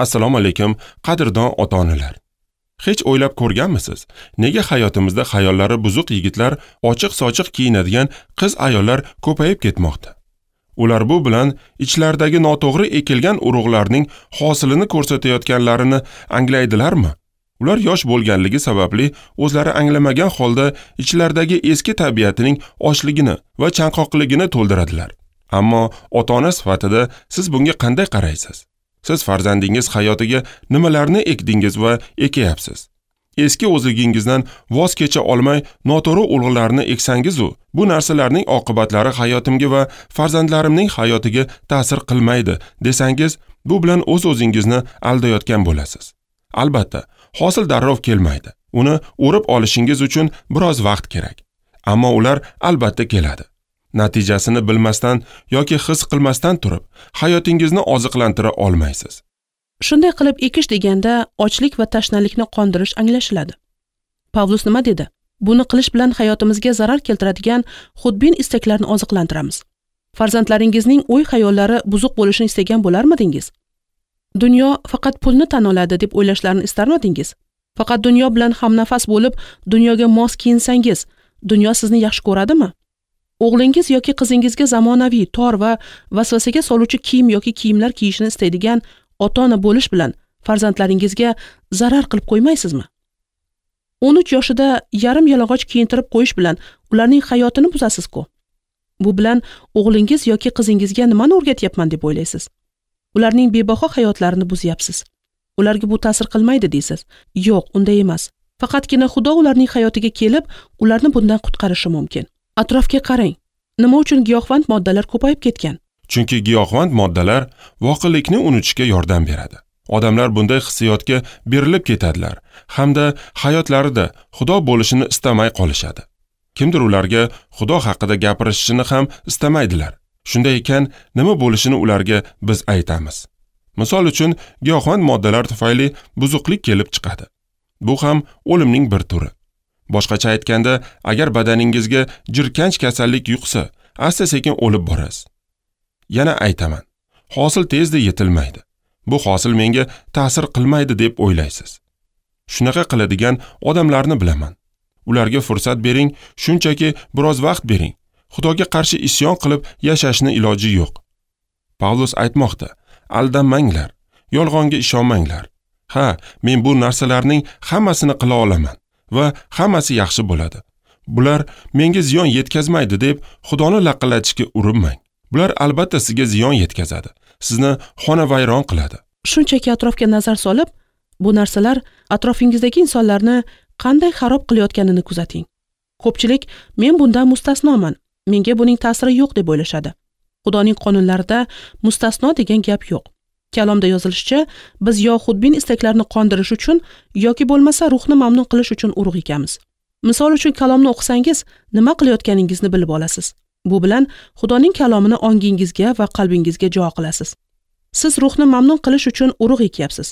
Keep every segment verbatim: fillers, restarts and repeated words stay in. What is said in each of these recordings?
Assalomu alaykum, qadrdon ota-onalar. Hech o'ylab ko'rganmisiz? Nega hayotimizda xayollari buzuq yigitlar, ochiq-sochiq kiyinadigan qiz ayollar ko'payib ketmoqda? Ular bu bilan ichlaridagi noto'g'ri ekilgan urug'larning hosilini ko'rsatayotganlarini anglaydilarmi? Ular yosh bo'lganligi sababli o'zlari anglamagan holda ichlaridagi eski tabiatining ochligini va chanqoqligini to'ldiradilar. Ammo ota-ona sifatida siz bunga qanday qaraysiz? Siz farzandingiz hayotiga nimalarni ekdingiz va ekayapsiz? Eski o'zligingizdan voz kecha olmay noto'g'ri urug'larni eksangiz-u, bu narsalarning oqibatlari hayotimga va farzandlarimning hayotiga ta'sir qilmaydi desangiz, bu bilan o'z-o'zingizni aldayotgan bo'lasiz. Albatta, hosil darrov kelmaydi. Uni o'rib olishingiz uchun biroz vaqt kerak. Ammo ular albatta keladi. Natijasini bilmasdan yoki his qilmasdan turib, hayotingizni oziqlantira olmaysiz. Shunday qilib ekish deganda ochlik va tashnalikni qondirish anglashiladi. Pavlus nima dedi? Buni qilish bilan hayotimizga zarar keltiradigan xudbin istaklarni oziqlantiramiz. Farzandlaringizning o'y-xayollari buzuq bo'lishini istagan bo'larmidingiz? Dunyo faqat pulni tan oladi deb o'ylashlarini istarmidingiz? Faqat dunyo bilan hamnafas bo'lib, dunyoga mos kiyinsangiz, dunyo sizni yaxshi ko'radimi? O'g'lingiz yoki qizingizga zamonaviy, tor va vasvasaga soluvchi kiyim yoki kiyimlar kiyishini istaydigan ota-ona bo'lish bilan farzandlaringizga zarar qilib qo'ymaysizmi? o'n uch yoshida yarim yalang'och kiyintirib qo'yish bilan ularning hayotini buzasiz-ku. Bu bilan o'g'lingiz yoki qizingizga nimani o'rgatyapman deb o'ylaysiz? Ularning bebaho hayotlarini buzyapsiz. Ularga bu ta'sir qilmaydi deysiz. Yo'q, unday emas. Faqatgina Xudo ularning hayotiga kelib, ularni bundan qutqarishi mumkin. Atrofga qarang. Nima uchun giyohvand moddalar ko'payib ketgan? Chunki giyohvand moddalar voqelikni unutishga yordam beradi. Odamlar bunday hissiyotga berilib ketadilar hamda hayotlarida Xudo bo'lishini istamay qolishadi. Kimdir ularga Xudo haqida gapirishini ham istamaydilar. Shunday ekan, nima bo'lishini ularga biz aytamiz. Misol uchun, giyohvand moddalar tufayli buzuqlik kelib chiqadi. Bu ham o'limning bir turi. Boshqacha aytganda, agar badaningizga jirkanch kasallik yuqsa, asta-sekin o'lib borasiz. Yana aytaman, hosil tezda yetilmaydi. Bu hosil menga ta'sir qilmaydi deb o'ylaysiz. Shunaqa qiladigan odamlarni bilaman. Ularga fursat bering, shunchaki biroz vaqt bering. Xudoga qarshi isyon qilib yashashni iloji yo'q. Pavlus aytmoqda, aldanmanglar, yolg'onga ishonmanglar. Ha, men bu narsalarning hammasini qila olaman va hammasi yaxshi bo'ladi. Bular menga ziyon yetkazmaydi deb Xudoni laqillatishga urinmang. Bular albatta sizga ziyon yetkazadi. Sizni xonavayron qiladi. Shunchaki atrofga nazar solib, bu narsalar atrofingizdagi insonlarni qanday xarob qilayotganini kuzating. Ko'pchilik men bundan mustasnoman, menga buning ta'siri yo'q deb o'ylashadi. Xudoning qonunlarida mustasno degan gap yo'q. Kalomda yozilishicha, biz yo xudbin istaklarni qondirish uchun yoki bo'lmasa ruhni mamnun qilish uchun urug' ekamiz. Misol uchun kalomni o'qisangiz, nima qilayotganingizni bilib olasiz. Bu bilan Xudoning kalomini ongingizga va qalbingizga jo qilasiz. Siz ruhni mamnun qilish uchun urug' ekyapsiz.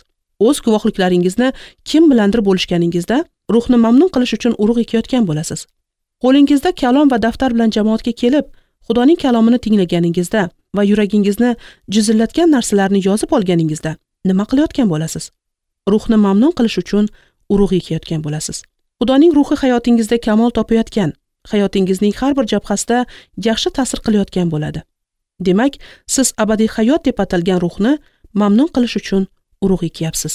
O'z guvohliklaringizni kim bilandir bo'lishganingizda ruhni mamnun qilish uchun urug' ekayotgan bo'lasiz. Qo'lingizda kalom va daftar bilan jamoatga kelib, Xudoning kalomini tinglaganingizda va yuragingizni jizillatgan narsalarni yozib olganingizda nima qilayotgan bo'lasiz? Ruhni mamnun qilish uchun urug' ekayotgan bo'lasiz. Xudoning ruhi hayotingizda kamol topayotgan, hayotingizning har bir jabhasida yaxshi ta'sir qilayotgan bo'ladi. Demak, siz abadiy hayot deb atalgan ruhni mamnun qilish uchun urug' ekyapsiz.